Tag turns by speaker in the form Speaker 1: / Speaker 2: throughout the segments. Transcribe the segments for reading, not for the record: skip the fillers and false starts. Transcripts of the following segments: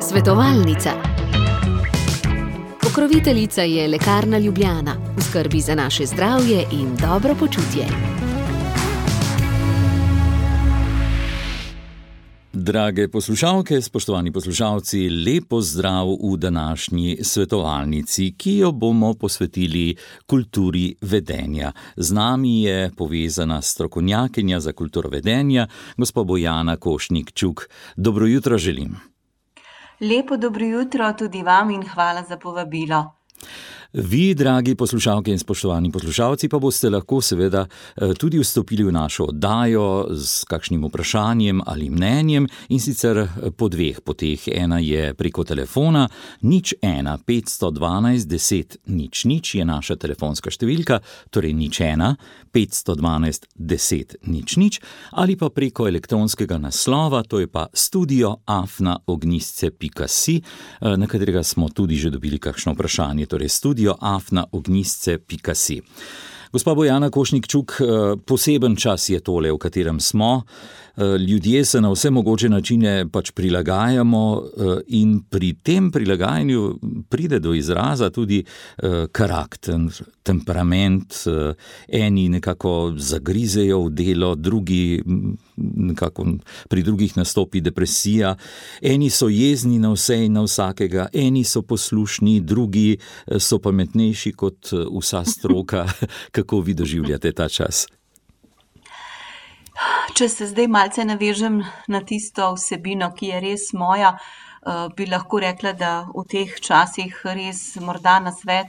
Speaker 1: Svetovalnica. Pokroviteljica je Lekarna Ljubljana, v skrbi za naše zdravje in dobro počutje.
Speaker 2: Drage poslušalke, spoštovani poslušalci, lep pozdrav v današnji svetovalnici, ki jo bomo posvetili kulturi vedenja. Z nami je povezana strokovnjakinja za kulturo vedenja, gospa Bojana Košnik-Čuk. Dobro jutro želim.
Speaker 3: Lepo dobro jutro tudi vam in hvala za povabilo.
Speaker 2: Vi, dragi poslušalke in spoštovani poslušalci, pa boste lahko seveda tudi vstopili v našo oddajo s kakšnim vprašanjem ali mnenjem, in sicer po dveh poteh. Ena je preko telefona 01 512 10 00 je naša telefonska številka, torej 01 512 10 00, ali pa preko elektronskega naslova, to je pa studio@ognjisce.si, na katerega smo tudi že dobili kakšno vprašanje, torej studio@ognjisce.si. Gospa Bojana Košnik-Čuk, poseben čas je tole, v katerem smo. Ljudje se na vse mogoče načine pač prilagajamo in pri tem prilagajanju pride do izraza tudi karakter, temperament. Eni nekako zagrizejo v delo, drugi nekako pri drugih nastopi depresija. Eni so jezni na vse in na vsakega, eni so poslušni, drugi so pametnejši kot vsa stroka. Kako vi doživljate ta čas?
Speaker 3: Če se zdaj malce navežem na tisto vsebino, ki je res moja, bi lahko rekla, da v teh časih res morda nasvet,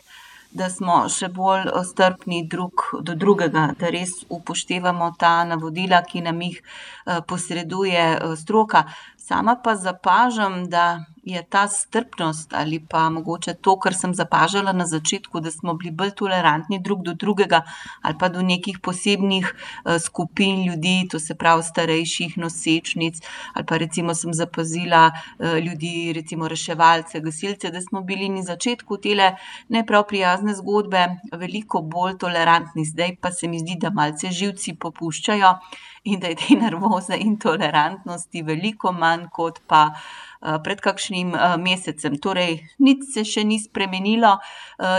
Speaker 3: da smo še bolj strpni drug do drugega, da res upoštevamo ta navodila, ki nam jih posreduje stroka. Sama pa zapažam, da je ta strpnost ali pa mogoče to, kar sem zapažala na začetku, da smo bili bolj tolerantni drug do drugega ali pa do nekih posebnih skupin ljudi, to se pravi starejših nosečnic, ali pa recimo sem zapazila ljudi, recimo reševalce, gasilce, da smo bili na začetku tele ne prav prijazne zgodbe veliko bolj tolerantni. Zdaj pa se mi zdi, da malce živci popuščajo in da je te nervoze in tolerantnosti veliko manj kot pa pred kakšnim mesecem. Torej, nič se še ni spremenilo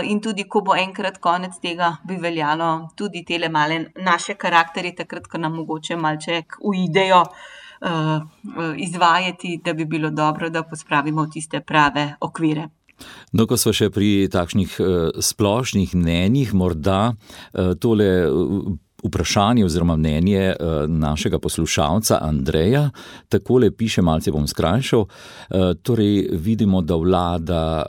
Speaker 3: in tudi, ko bo enkrat konec tega, bi veljalo tudi tele male naše karakterje, takrat, ko nam mogoče malček uidejo izvajati, da bi bilo dobro, da pospravimo v tiste prave okvire.
Speaker 2: No, ko smo še pri takšnih splošnih mnenjih, morda tole vprašanje oziroma mnenje našega poslušalca Andreja, takole piše, malce bom skrajšal. Torej, vidimo, da vlada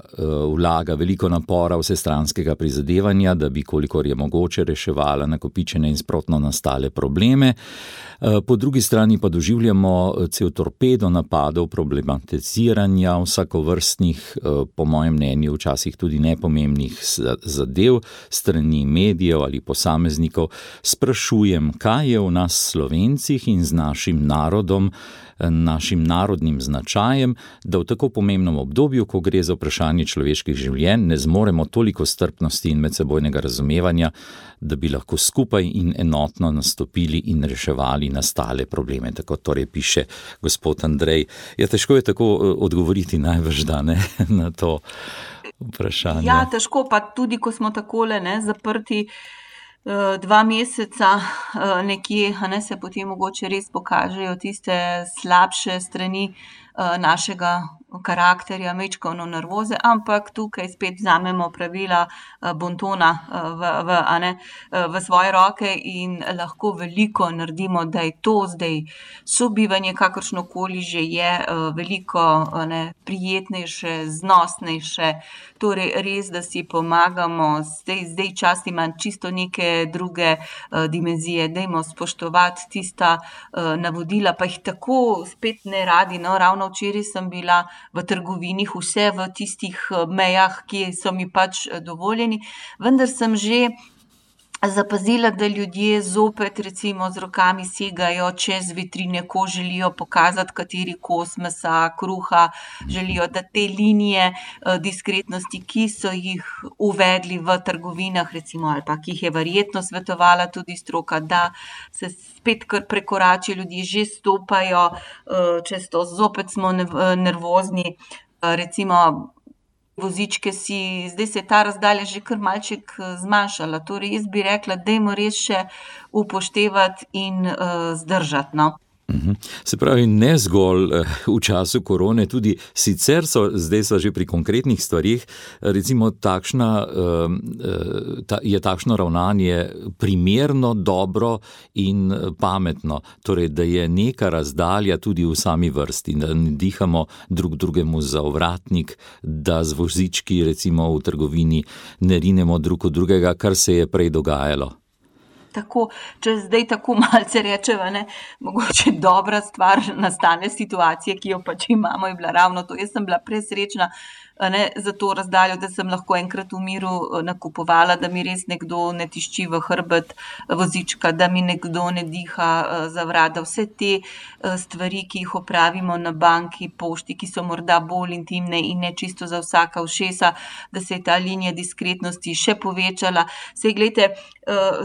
Speaker 2: vlaga veliko napora vsestranskega prizadevanja, da bi, kolikor je mogoče, reševala nakopičene in sprotno nastale probleme. Po drugi strani pa doživljamo cel torpedo napadov, problematiziranja vsakovrstnih, po mojem mnenju, včasih tudi nepomembnih zadev strani medijev ali posameznikov. Sprašujem, kaj je v nas Slovencih in z našim narodom, našim narodnim značajem, da v tako pomembnem obdobju, ko gre za vprašanje človeških življenj, ne zmoremo toliko strpnosti in medsebojnega razumevanja, da bi lahko skupaj in enotno nastopili in reševali nastale probleme. Tako torej piše gospod Andrej. Ja, težko je tako odgovoriti najbrž, da ne, na to vprašanje.
Speaker 3: Ja, težko, pa tudi, ko smo takole zaprti 2 meseca nekje, se potem mogoče res pokažejo tiste slabše strani našega karakterja, majčkeno nervoze, ampak tukaj spet vzamemo pravila bontona v svoje roke in lahko veliko naredimo, da je to zdaj sobivanje, kakršnokoli že je, veliko prijetnejše, znosnejše, torej res, da si pomagamo. Zdaj čas ima čisto neke druge dimenzije, dajmo spoštovati tista navodila, pa jih tako spet ne radi, ravno včeraj sem bila v trgovini, vse v tistih mejah, ki so mi pač dovoljeni, vendar sem že zapazila, da ljudje zopet recimo z rokami segajo čez vitrine, ko želijo pokazati, kateri kos mesa, kruha, želijo, da te linije diskretnosti, ki so jih uvedli v trgovinah, recimo, ali pa ki jih je verjetno svetovala tudi stroka, da se spet kar prekorači, ljudje že stopajo čez to, zopet smo nervozni, recimo vozičke zdaj se je ta razdalja že kar malček zmanjšala, torej jaz bi rekla, dajmo res še upoštevati in zdržati, no.
Speaker 2: Se pravi, ne zgolj v času korone, tudi sicer zdaj so že pri konkretnih stvarih, recimo je takšno ravnanje primerno, dobro in pametno, torej da je neka razdalja tudi v sami vrsti, da ne dihamo drug drugemu za ovratnik, da z vozički recimo v trgovini ne rinemo drug od drugega, kar se je prej dogajalo.
Speaker 3: Tako, če zdaj tako malce rečeva, ne, mogoče dobra stvar nastane situacije, ki jo pač imamo, je bila ravno to. Jaz sem bila presrečna za to razdaljo, da sem lahko enkrat v miru nakupovala, da mi res nekdo ne tišči v hrbet vozička, da mi nekdo ne diha za vrat, da vse te stvari, ki jih opravimo na banki, pošti, ki so morda bolj intimne in ne čisto za vsaka ušesa, da se je ta linija diskretnosti še povečala. Sej, glejte,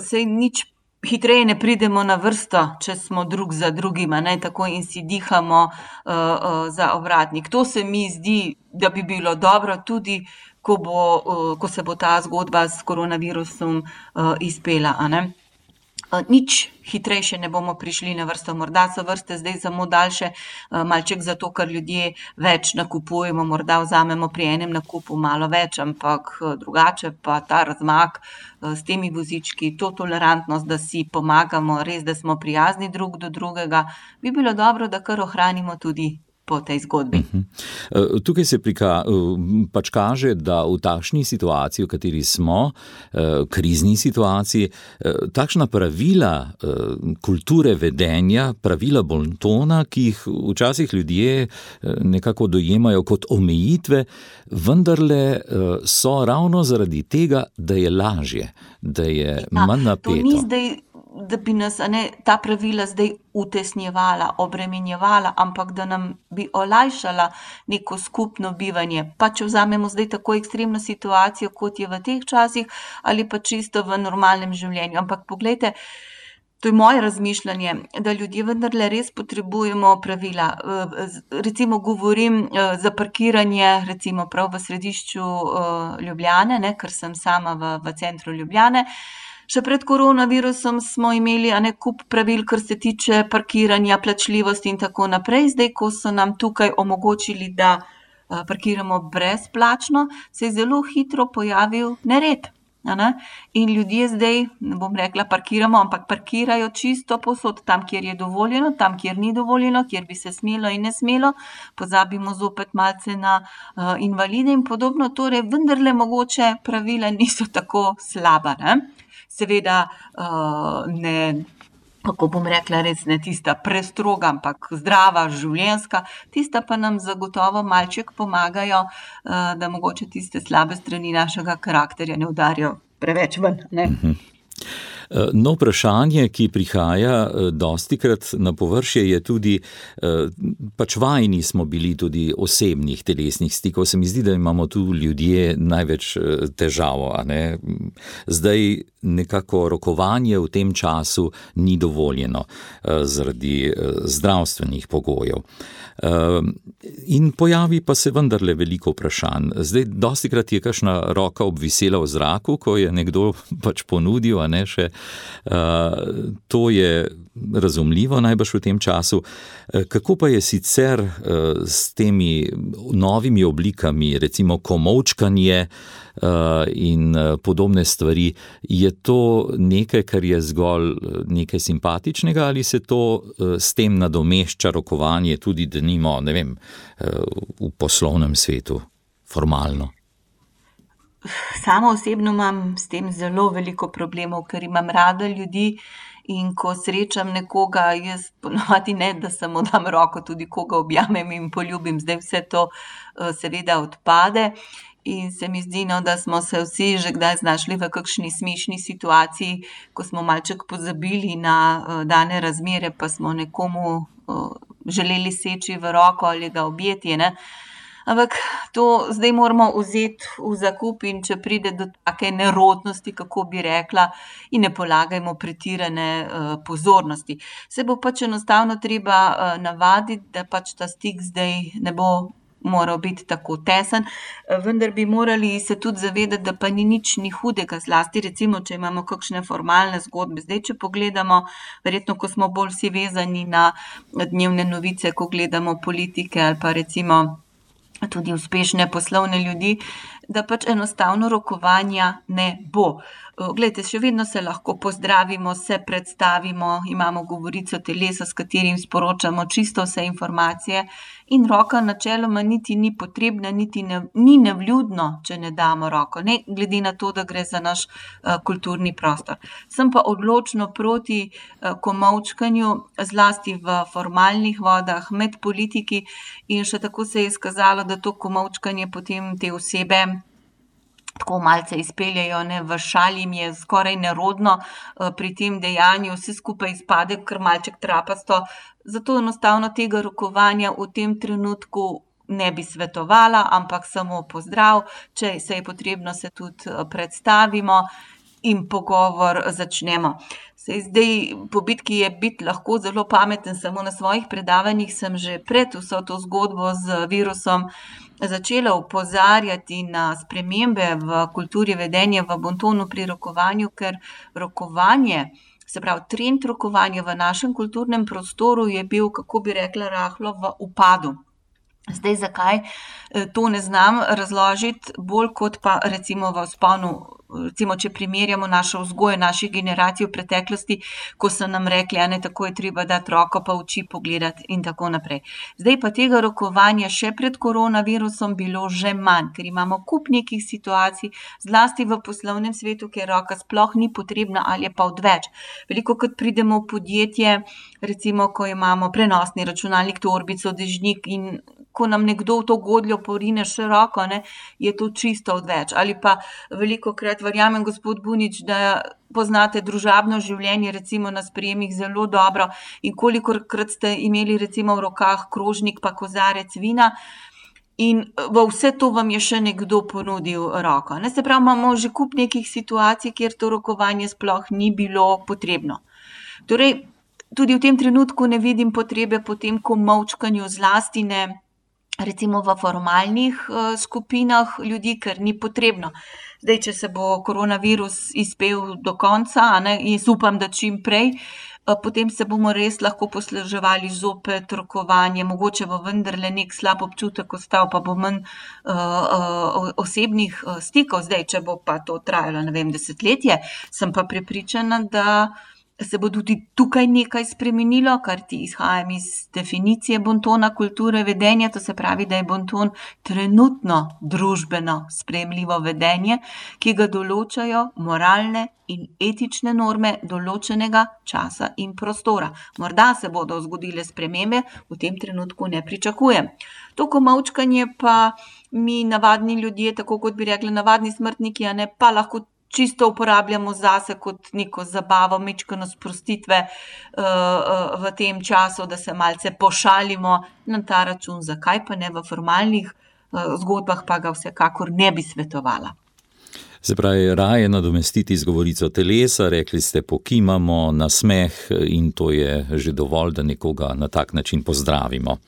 Speaker 3: sej nič hitreje ne pridemo na vrsto, če smo drug za drugima, tako in si dihamo za ovratnik. To se mi zdi, da bi bilo dobro tudi, ko se bo ta zgodba s koronavirusom izpela, Nič hitrejše ne bomo prišli na vrsto. Morda so vrste zdaj samo daljše, malček zato, ker ljudje več nakupujemo, morda vzamemo pri enem nakupu malo več, ampak drugače pa ta razmak s temi vozički, to tolerantnost, da si pomagamo, res, da smo prijazni drug do drugega, bi bilo dobro, da kar ohranimo tudi po tej zgodbi.
Speaker 2: Tukaj se pač kaže, da v takšni situaciji, v kateri smo, krizni situaciji, takšna pravila kulture vedenja, pravila bontona, ki jih včasih ljudje nekako dojemajo kot omejitve, vendarle so ravno zaradi tega, da je lažje, da je manj napeto.
Speaker 3: To ni zdaj, da bi nas ta pravila zdaj utesnjevala, obremenjevala, ampak da nam bi olajšala neko skupno bivanje. Pa če vzamemo zdaj tako ekstremno situacijo, kot je v teh časih, ali pa čisto v normalnem življenju. Ampak poglejte, to je moje razmišljanje, da ljudje vendarle res potrebujemo pravila. Recimo govorim za parkiranje, recimo prav v središču Ljubljane, ker sem sama v centru Ljubljane. Še pred koronavirusom smo imeli kup pravil, kar se tiče parkiranja, plačljivosti in tako naprej. Zdaj, ko so nam tukaj omogočili, da parkiramo brezplačno, se je zelo hitro pojavil nered. In ljudje zdaj, ne bom rekla parkiramo, ampak parkirajo čisto povsod, tam, kjer je dovoljeno, tam, kjer ni dovoljeno, kjer bi se smelo in ne smelo. Pozabimo zopet malce na invalide in podobno. Torej, vendarle mogoče pravila niso tako slaba, Seveda ne, kako bom rekla, res ne tista prestroga, ampak zdrava, življenjska, tista pa nam zagotovo malček pomagajo, da mogoče tiste slabe strani našega karakterja ne udarijo preveč ven,
Speaker 2: No, vprašanje, ki prihaja dostikrat na površje, je tudi, pač vajeni smo bili tudi osebnih telesnih stikov. Se mi zdi, da imamo tu ljudje največ težav, Zdaj nekako rokovanje v tem času ni dovoljeno zaradi zdravstvenih pogojev. In pojavi pa se vendarle veliko vprašanj. Zdaj, dostikrat je kakšna roka obvisela v zraku, ko je nekdo pač ponudil, še. To je razumljivo najbrž v tem času. Kako pa je sicer s temi novimi oblikami, recimo komolčkanje in podobne stvari, je to nekaj, kar je zgolj nekaj simpatičnega, ali se to s tem nadomešča rokovanje tudi, denimo, ne vem, v poslovnem svetu, formalno?
Speaker 3: Sama osebno imam s tem zelo veliko problemov, ker imam rada ljudi in ko srečam nekoga, jaz ponovadi ne, da samo dam roko, tudi koga objamem in poljubim, zdaj vse to seveda odpade In se mi zdi, no, da smo se vsi že kdaj znašli v kakšni smešni situaciji, ko smo malček pozabili na dane razmere, pa smo nekomu želeli seči v roko ali ga objeti, ne. Ampak to zdaj moramo vzeti v zakup in če pride do take nerodnosti, kako bi rekla, in ne polagajmo pretirane pozornosti. Se bo pač enostavno treba navaditi, da pač ta stik zdaj ne bo moral biti tako tesen, vendar bi morali se tudi zavedati, da pa ni nič ni hudega, zlasti recimo, če imamo kakšne formalne zgodbe. Zdaj, če pogledamo, verjetno, ko smo bolj vsi vezani na dnevne novice, ko gledamo politike ali pa recimo tudi uspešne poslovne ljudi, da pač enostavno rokovanja ne bo. Glejte, še vedno se lahko pozdravimo, se predstavimo, imamo govorico telesa, s katerim sporočamo čisto vse informacije in roka načeloma niti ni potrebna, niti ni nevljudno, če ne damo roko, ne glede na to, da gre za naš kulturni prostor. Sem pa odločno proti komolčkanju, zlasti v formalnih vodah, med politiki in še tako se je izkazalo, da to komolčkanje potem te osebe tako malce izpeljejo, ne, v šali jim je skoraj nerodno pri tem dejanju, vse skupaj izpade kar malček trapasto, zato enostavno tega rokovanja v tem trenutku ne bi svetovala, ampak samo pozdrav, če se je potrebno, se tudi predstavimo in pogovor začnemo. Saj zdaj po bitki je biti lahko zelo pameten, samo na svojih predavanjih sem že pred vso to zgodbo z virusom začela opozarjati na spremembe v kulturi vedenja, v bontonu pri rokovanju, ker rokovanje, se pravi trend rokovanja v našem kulturnem prostoru je bil, kako bi rekla, rahlo v upadu. Zdaj, zakaj to ne znam razložiti, bolj kot pa recimo v vzponu, recimo, če primerjamo našo vzgojo, naših generacij v preteklosti, ko so nam rekli, ne, tako je treba dati roko pa oči pogledati in tako naprej. Zdaj pa tega rokovanja še pred koronavirusom bilo že manj, ker imamo kup nekih situacij, zlasti v poslovnem svetu, kjer roka sploh ni potrebna ali je pa odveč. Velikokrat pridemo v podjetje, recimo, ko imamo prenosni računalnik, torbico, dežnik in ko nam nekdo v to godljo porine še roko, ne, je to čisto odveč. Ali pa velikokrat, verjamem, gospod Bunič, da poznate družabno življenje, recimo na sprejemih zelo dobro in kolikokrat ste imeli recimo v rokah krožnik pa kozarec vina in v vse to vam je še nekdo ponudil roko, ne. Se pravi, imamo že kup nekih situacij, kjer to rokovanje sploh ni bilo potrebno. Torej, tudi v tem trenutku ne vidim potrebe po tem komolčkanju, zlasti ne recimo v formalnih skupinah ljudi, ker ni potrebno. Zdaj, če se bo koronavirus izpel do konca, ne, jaz upam, da čim prej, potem se bomo res lahko posluževali zopet rokovanje, mogoče bo vendarle nek slab občutek ostal, pa bo manj osebnih stikov. Zdaj, če bo pa to trajalo, ne vem, desetletje, sem pa prepričana, da se bo tudi tukaj nekaj spremenilo, kar ti izhajam iz definicije bontona kulture vedenja, to se pravi, da je bonton trenutno družbeno sprejemljivo vedenje, ki ga določajo moralne in etične norme določenega časa in prostora. Morda se bodo zgodile spremembe, v tem trenutku ne pričakujem. To komolčkanje pa mi navadni ljudje, tako kot bi rekli navadni smrtniki, ne, pa lahko čisto uporabljamo zase kot neko zabavo, majčkeno sprostitve v tem času, da se malce pošalimo na ta račun, zakaj pa ne v formalnih zgodbah, pa ga vsekakor ne bi svetovala.
Speaker 2: Se pravi, raje nadomestiti z govorico telesa, rekli ste, pokimamo, nasmeh in to je že dovolj, da nekoga na tak način pozdravimo.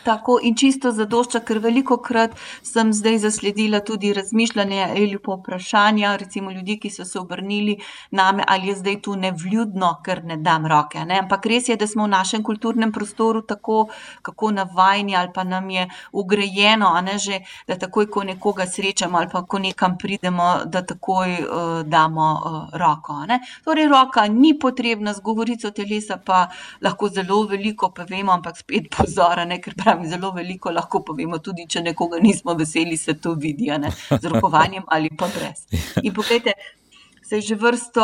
Speaker 3: Tako in čisto zadošča, ker velikokrat sem zdaj zasledila tudi razmišljanje ali pa vprašanja, recimo ljudi, ki so se obrnili name, ali je zdaj tu nevljudno, ker ne dam roke, ne. Ampak res je, da smo v našem kulturnem prostoru tako, kako navajeni ali pa nam je ugrajeno, ne, že, da takoj, ko nekoga srečamo ali pa ko nekam pridemo, da takoj damo roko, ne. Torej, roka ni potrebna, z govorico telesa pa lahko zelo veliko povemo, ampak spet pozor, ne, ker zelo veliko lahko povemo, tudi če nekoga nismo veseli, se to vidi, ne, z rokovanjem ali pa brez. In poglejte, saj že vrsto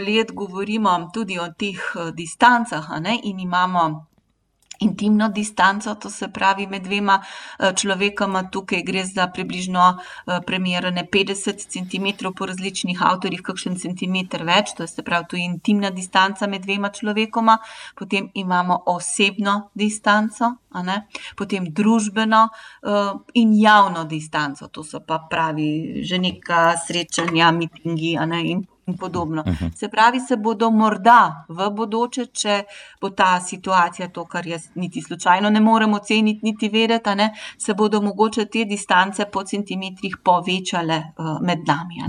Speaker 3: let govorimo tudi o teh distancah, ne, in imamo intimno distanco, to se pravi med dvema človekoma, tukaj gre za približno premerjene 50 cm po različnih avtorjih, kakšen centimeter več, to je se pravi tu intimna distanca med dvema človekoma, potem imamo osebno distanco, potem družbeno in javno distanco, to so pa pravi že neka srečanja, mitingi in podobno. Se pravi, se bodo morda v bodoče, če bo ta situacija to, kar jaz niti slučajno ne morem oceniti, niti vedeti, se bodo mogoče te distance po centimetrih povečale med nami.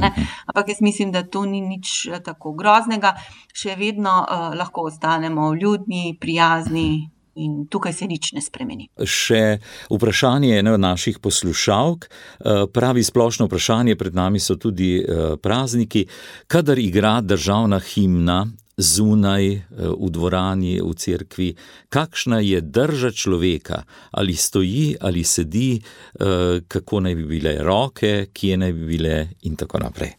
Speaker 3: Ampak jaz mislim, da to ni nič tako groznega, še vedno lahko ostanemo vljudni, prijazni, in tukaj se nič ne spremeni.
Speaker 2: Še vprašanje ene od naših poslušalk, pravi splošno vprašanje, pred nami so tudi prazniki, kadar igra državna himna zunaj, v dvorani, v cerkvi, kakšna je drža človeka, ali stoji, ali sedi, kako naj bi bile roke, kje naj bi bile in tako naprej.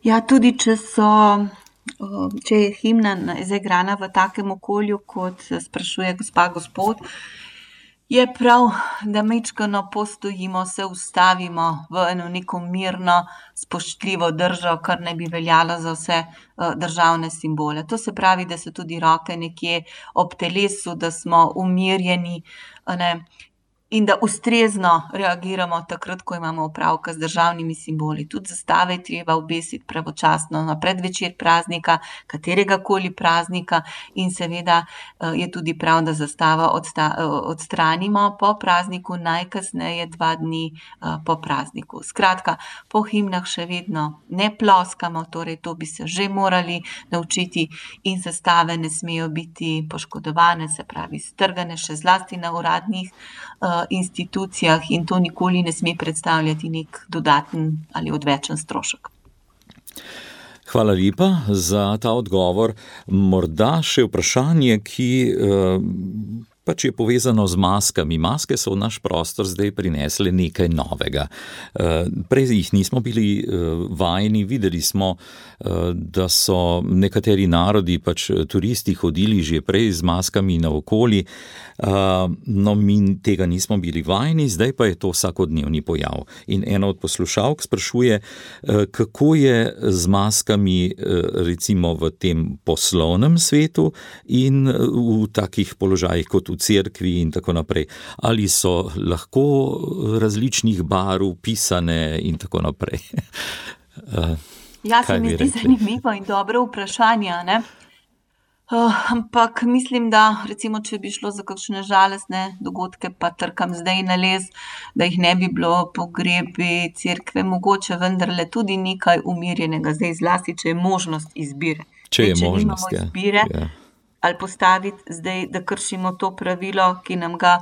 Speaker 3: Ja, tudi če je himna zaigrana v takem okolju, kot sprašuje gospa gospod, je prav, da majčkeno postojimo, se ustavimo v eno neko mirno, spoštljivo držo, kar naj bi veljalo za vse državne simbole. To se pravi, da so tudi roke nekje ob telesu, da smo umirjeni, in da ustrezno reagiramo takrat, ko imamo opravka z državnimi simboli. Tudi zastave je treba obesiti pravočasno na predvečer praznika, kateregakoli praznika, in seveda je tudi prav, da zastavo odstranimo po prazniku, najkasneje 2 dni po prazniku. Skratka, po himnah še vedno ne ploskamo, torej to bi se že morali naučiti, in zastave ne smejo biti poškodovane, se pravi strgane, še zlasti na uradnih institucijah, in to nikoli ne sme predstavljati nek dodaten ali odvečen strošek.
Speaker 2: Hvala lepa za ta odgovor. Morda še vprašanje, ki pač je povezano z maskami. Maske so v naš prostor zdaj prinesle nekaj novega. Prej jih nismo bili vajeni, videli smo, da so nekateri narodi, pač turisti, hodili že prej z maskami naokoli, no mi tega nismo bili vajeni, zdaj pa je to vsakodnevni pojav. In ena od poslušalk sprašuje, kako je z maskami recimo v tem poslovnem svetu in v takih položajih kot v cerkvi in tako naprej. Ali so lahko različnih barv pisane in tako naprej?
Speaker 3: Ja, se mi zdi zanimivo in dobro vprašanje, ampak mislim, da recimo, če bi šlo za kakšne žalostne dogodke, pa trkam zdaj na les, da jih ne bi bilo, pogrebi, cerkve, mogoče vendarle tudi nekaj umirjenega, zdaj zlasti, če je možnost izbire.
Speaker 2: Če je možnost,
Speaker 3: nimamo izbire, ali postaviti zdaj, da kršimo to pravilo, ki nam ga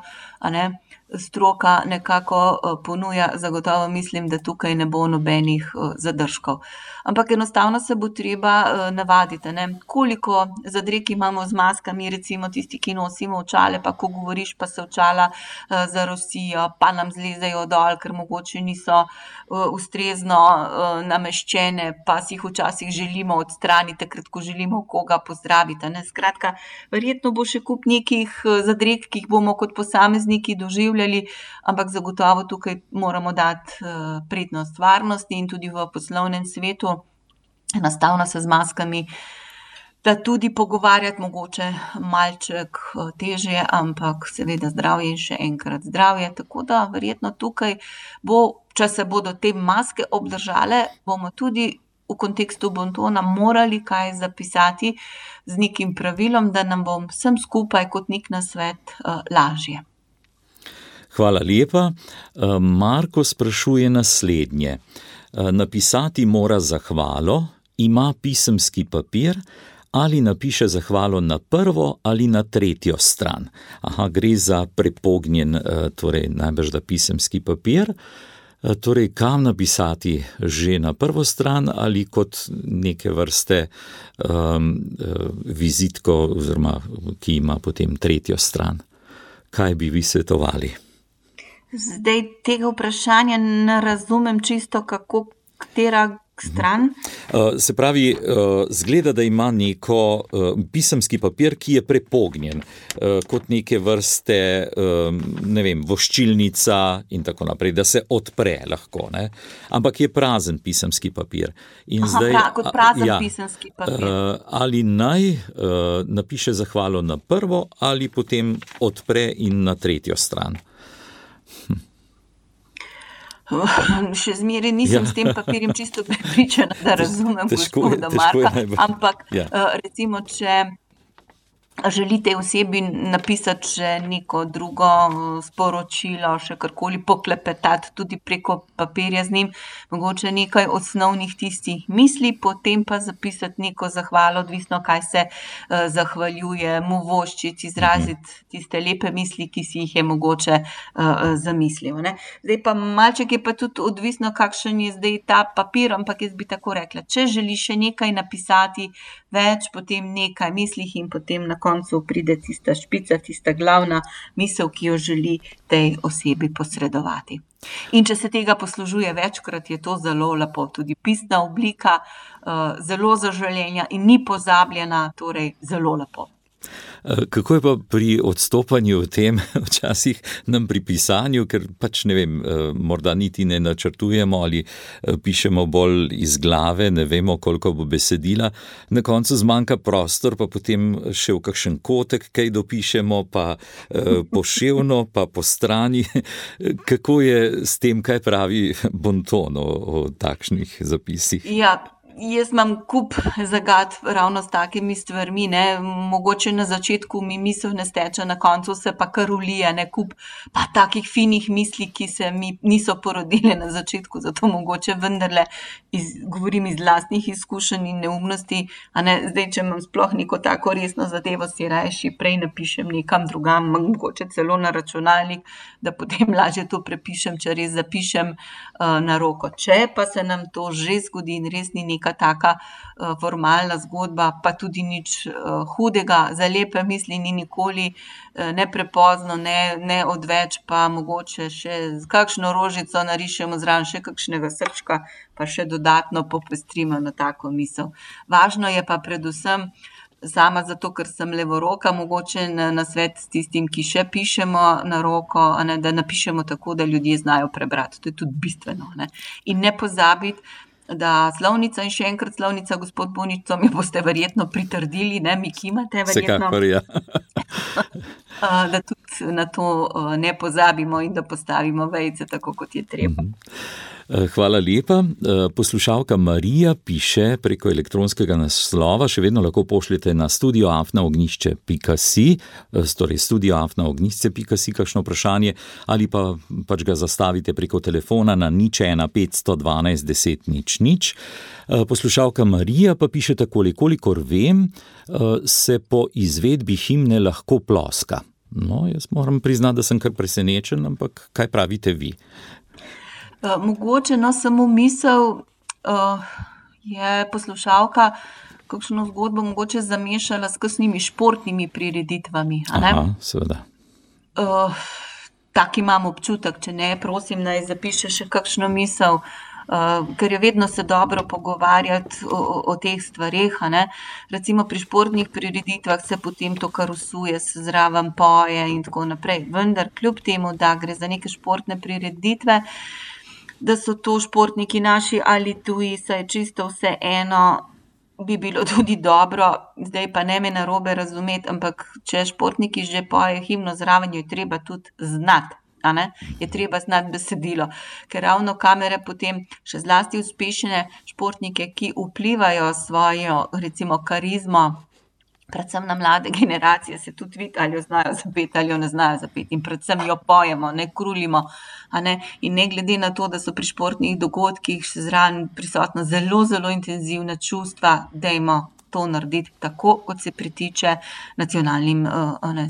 Speaker 3: stroka nekako ponuja, zagotovo mislim, da tukaj ne bo nobenih zadržkov. Ampak enostavno se bo treba navaditi, koliko zadreg imamo z maskami, recimo tisti, ki nosimo očale, pa ko govoriš, pa se očala zarosijo, pa nam zlezejo dol, ker mogoče niso ustrezno nameščene, pa si jih včasih želimo odstraniti, takrat, ko želimo koga pozdraviti. Skratka, verjetno bo še kup nekih zadreg, ki jih bomo kot posamezniki doživljali, ampak zagotovo tukaj moramo dati prednost varnosti in tudi v poslovnem svetu enostavno se z maskami da tudi pogovarjati mogoče malček težje, ampak seveda zdravje in še enkrat zdravje, tako da verjetno tukaj bo, če se bodo te maske obdržale, bomo tudi v kontekstu bontona morali kaj zapisati z nekim pravilom, da nam bo vsem skupaj kot nek nasvet lažje.
Speaker 2: Hvala lepa. Marko sprašuje naslednje. Napisati mora zahvalo, ima pisemski papir ali napiše zahvalo na prvo ali na tretjo stran. Gre za prepognjen, torej najbrž da pisemski papir. Torej, kam napisati, že na prvo stran ali kot neke vrste vizitko, oziroma ki ima potem tretjo stran? Kaj bi vi svetovali?
Speaker 3: Zdaj tega vprašanja ne razumem čisto, kako katera stran.
Speaker 2: Se pravi, zgleda, da ima neko pisemski papir, ki je prepognjen, kot neke vrste, ne vem, voščilnica in tako naprej, da se odpre lahko, ne? Ampak je prazen pisemski papir. In
Speaker 3: kot prazen pisemski papir.
Speaker 2: Ali naj napiše zahvalo na prvo ali potem odpre in na tretjo stran?
Speaker 3: Še zmeraj nisem s tem papirjem čisto prepričana, da razumem gospoda Marka, ampak recimo, če želite osebi napisati še neko drugo sporočilo, še karkoli poklepetati tudi preko papirja z njim, mogoče nekaj osnovnih tistih misli, potem pa zapisati neko zahvalo, odvisno kaj se zahvaljuje, mu voščiti, izraziti tiste lepe misli, ki si jih je mogoče zamislil, ne. Zdaj pa malček je pa tudi odvisno, kakšen je zdaj ta papir, ampak jaz bi tako rekla, če želi še nekaj napisati več, potem nekaj mislih in potem na koncu pride tista špica, tista glavna misel, ki jo želi tej osebi posredovati. In če se tega poslužuje večkrat, je to zelo lepo. Tudi pisna oblika, zelo zaželena in ni pozabljena, torej zelo lepo.
Speaker 2: Kako je pa pri odstopanju v tem, včasih nam pri pisanju, ker pač ne vem, morda niti ne načrtujemo ali pišemo bolj iz glave, ne vemo, koliko bo besedila, na koncu zmanjka prostor, pa potem še v kakšen kotek kaj dopišemo, pa poševno, pa po strani. Kako je s tem, kaj pravi Bonton o takšnih zapisih?
Speaker 3: Ja, jaz imam kup zagad ravno s takimi stvarmi, ne, mogoče na začetku mi misel ne steče, na koncu se pa kar ulije, ne, kup pa takih finih misli, ki se mi niso porodile na začetku, zato mogoče vendarle govorim iz lastnih izkušenj in neumnosti, a ne, zdaj, če imam sploh neko tako resno zadevo, si rajši prej napišem nekam drugam, mogoče celo na računalnik, da potem lažje to prepišem, če res zapišem na roko. Če pa se nam to že zgodi in res ni neka taka formalna zgodba, pa tudi nič hudega, za lepe misli ni nikoli ne prepozno, ne odveč, pa mogoče še z kakšno rožico narišemo zraven še kakšnega srčka, pa še dodatno popestrimo na tako misel. Važno je pa predvsem, sama zato, ker sem levoroka, mogoče na svet s tistim, ki še pišemo na roko, ne, da napišemo tako, da ljudje znajo prebrati. To je tudi bistveno, ne. In ne pozabiti, da slovnica in še enkrat slovnica, gospod Bonič, to mi boste verjetno pritrdili, ne, mi kimate verjetno.
Speaker 2: Vsekakor, ja.
Speaker 3: Da tudi na to ne pozabimo in da postavimo vejice tako, kot je treba.
Speaker 2: Hvala lepa. Poslušalka Marija piše preko elektronskega naslova, še vedno lahko pošljete na studio@ognjišče.si, torej studio@ognjišče.si kakšno vprašanje, ali pa pač ga zastavite preko telefona na 01 512 10 00. Poslušalka Marija pa piše takole: kolikor vem, se po izvedbi himne lahko ploska. No, jaz moram priznati, da sem kar presenečen, ampak kaj pravite vi?
Speaker 3: Mogoče, no, samo misel, je poslušalka kakšno zgodbo mogoče zamešala s kakšnimi športnimi prireditvami, a ne?
Speaker 2: Aha, seveda.
Speaker 3: Tak imam občutek, če ne, prosim, naj zapiše še kakšno misel, ker je vedno se dobro pogovarjati o teh stvareh, a ne. Recimo pri športnih prireditvah se potem to kar usuje, se zraven poje in tako naprej. Vendar kljub temu, da gre za neke športne prireditve, da so to športniki naši ali tuji, saj čisto vseeno, bi bilo tudi dobro, zdaj pa ne me narobe razumeti, ampak če športniki že pojejo himno zraven, jo je treba tudi znati, a ne, je treba znati besedilo, ker ravno kamere potem še zlasti uspešne športnike, ki vplivajo svojo, recimo, karizmo, predvsem na mlade generacije, se tudi vidi, ali jo znajo zapeti, ali jo ne znajo zapeti, in predvsem jo pojemo, ne krulimo, a ne, in ne glede na to, da so pri športnih dogodkih še zraven prisotna zelo, zelo intenzivna čustva, dajmo to narediti tako, kot se pritiče nacionalnim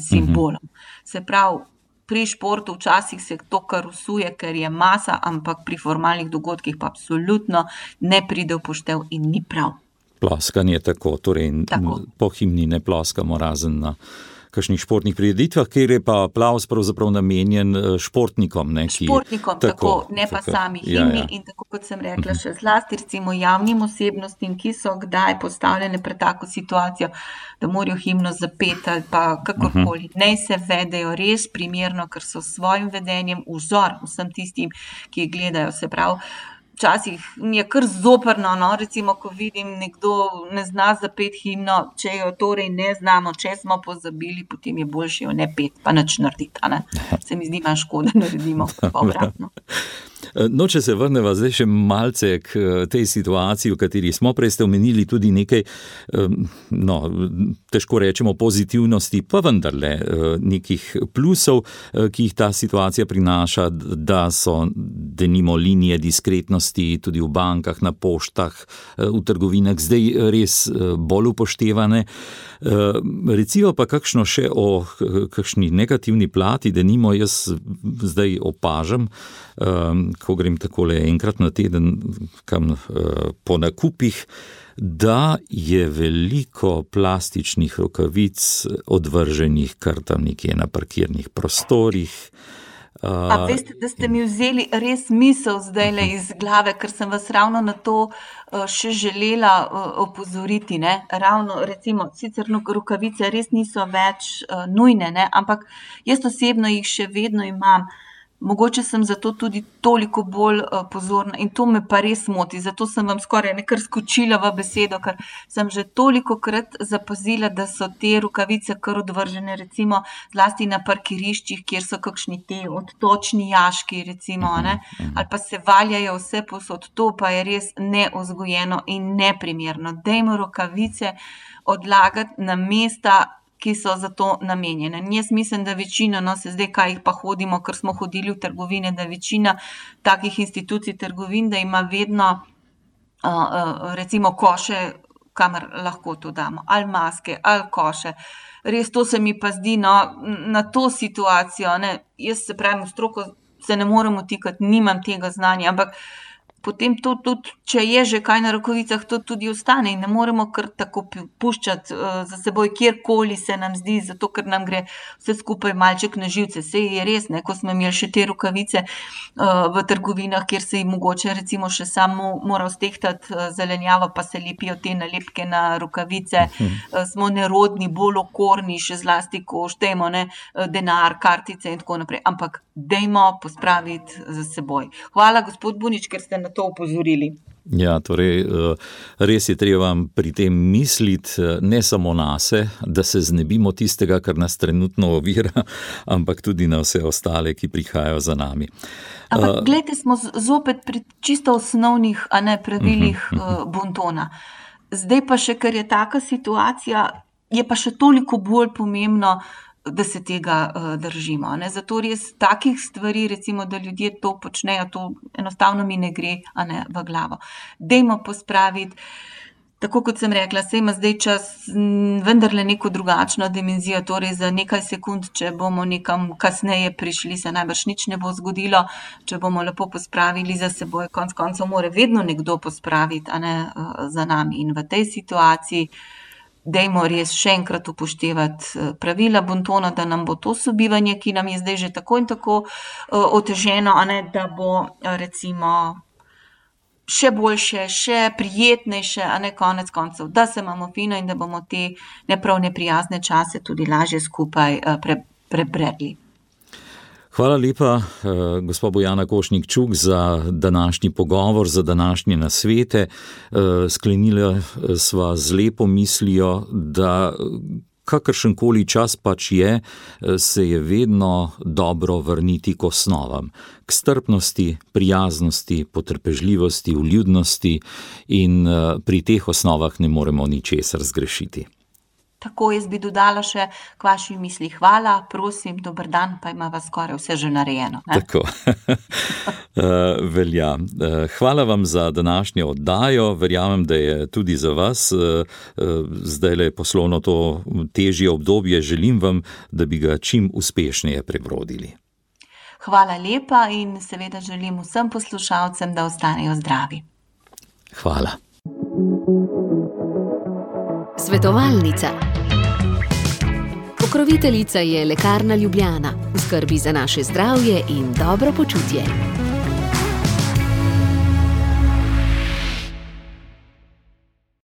Speaker 3: simbolom. Se pravi, pri športu včasih se to kar usuje, ker je masa, ampak pri formalnih dogodkih pa absolutno ne pride v poštev in ni prav.
Speaker 2: Ploskanje tako, torej
Speaker 3: tako.
Speaker 2: Po himni ne ploskamo, razen na kakšnih športnih prireditvah, kjer je pa aplavz pravzaprav namenjen športnikom.
Speaker 3: Športnikom, tako, ne pa sami himni. In tako kot sem rekla, še zlasti recimo javnim osebnostim, ki so kdaj postavljene pred tako situacijo, da morajo himno zapeti ali pa kakorkoli. Naj se vedejo res primerno, ker so s svojim vedenjem vzor vsem tistim, ki jih gledajo. Se pravi, včasih mi je kar zoprno, no, recimo, ko vidim nekdo ne zna zapeti himno, če jo torej ne znamo, če smo pozabili, potem je boljše jo ne peti, pa nič narediti, ne. Se mi zdi, manj škoda naredimo, pa obratno.
Speaker 2: No, če se vrneva zdaj še malce k tej situaciji, v kateri smo, prej ste omenili tudi nekaj, no, težko rečemo pozitivnosti, pa vendarle nekih plusov, ki jih ta situacija prinaša, da so denimo linije diskretnosti tudi v bankah, na poštah, v trgovinah zdaj res bolj upoštevane. Recimo pa kakšno še o kakšni negativni plati, denimo jaz zdaj opažam, ko grem takole enkrat na teden kam po nakupih, da je veliko plastičnih rokavic odvrženih kar tam nekje na parkirnih prostorih.
Speaker 3: A veste, da ste mi vzeli res misel zdajle iz glave, ker sem vas ravno na to še želela opozoriti, ne. Ravno recimo, sicer rokavice res niso več nujne, ne, ampak jaz osebno jih še vedno imam. Mogoče sem zato tudi toliko bolj pozorna in to me pa res moti, zato sem vam skoraj nekar skočila v besedo, ker sem že tolikokrat zapazila, da so te rokavice kar odvržene, recimo zlasti na parkiriščih, kjer so kakšni te odtočni jaški, recimo, ne, ali pa se valjajo vse posod, to pa je res nevzgojeno in neprimerno. Dajmo rokavice odlagati na mesta, ki so za to namenjene. Jaz mislim, da večina, no, se zdaj kaj jih pa hodimo, ker smo hodili v trgovine, da večina takih institucij trgovin, da ima vedno recimo koše, kamor lahko to damo, ali maske, ali koše. Res to se mi pa zdi, no, na to situacijo, ne, jaz se pravim, v stroko se ne morem vtikati, nimam tega znanja, ampak potem to tudi, če je že kaj na rokovicah, to tudi ostane in ne moremo kar tako puščati za seboj, kjerkoli se nam zdi, zato ker nam gre vse skupaj malček na živce. Sej je res, ne, ko smo imeli še te rokavice v trgovinah, kjer se jim mogoče recimo še samo mora stehtati zelenjavo, pa se lepijo te nalepke na rokavice, smo nerodni, bolj okorni, še zlasti, ko štejemo, ne, denar, kartice in tako naprej, ampak dajmo pospraviti za seboj. Hvala, gospod Bunič, ker ste na to opozorili.
Speaker 2: Ja, torej, res je treba pri tem misliti ne samo nase, da se znebimo tistega, kar nas trenutno ovira, ampak tudi na vse ostale, ki prihajajo za nami.
Speaker 3: Ampak glejte, smo zopet pri čisto osnovnih, a ne pravilih bontona. Zdaj pa še, ker je taka situacija, je pa še toliko bolj pomembno, da se tega držimo, ne. Zato res takih stvari, recimo, da ljudje to počnejo, to enostavno mi ne gre, a ne, v glavo. Dajmo pospraviti, tako kot sem rekla, saj ima zdaj čas vendarle neko drugačno dimenzijo, torej za nekaj sekund, če bomo nekam kasneje prišli, se najbrž nič ne bo zgodilo, če bomo lepo pospravili za seboj, konec koncev mora vedno nekdo pospraviti, a ne, za nami. In v tej situaciji dajmo res še enkrat upoštevati pravila bontona, da nam bo to sobivanje, ki nam je zdaj že tako in tako oteženo, a ne, da bo recimo še boljše, še prijetnejše, a ne, konec koncev, da se imamo fino in da bomo te neprav neprijazne čase tudi lažje skupaj prebredli.
Speaker 2: Hvala lepa, gospa Bojana Košnik-Čuk, za današnji pogovor, za današnje nasvete. Sklenila sva z lepo mislijo, da kakršenkoli čas pač je, se je vedno dobro vrniti k osnovam. K strpnosti, prijaznosti, potrpežljivosti, vljudnosti in pri teh osnovah ne moremo ničesar zgrešiti.
Speaker 3: Tako, jaz bi dodala še k vaši misli hvala, prosim, dober dan, pa ima vas skoraj vse že narejeno. Ne?
Speaker 2: Tako, velja. Hvala vam za današnjo oddajo, verjamem, da je tudi za vas zdajle poslovno to težje obdobje, želim vam, da bi ga čim uspešneje prebrodili.
Speaker 3: Hvala lepa in seveda želim vsem poslušalcem, da ostanejo zdravi.
Speaker 2: Hvala.
Speaker 1: Svetovalnica. Pokroviteljica je Lekarna Ljubljana, v skrbi za naše zdravje in dobro počutje.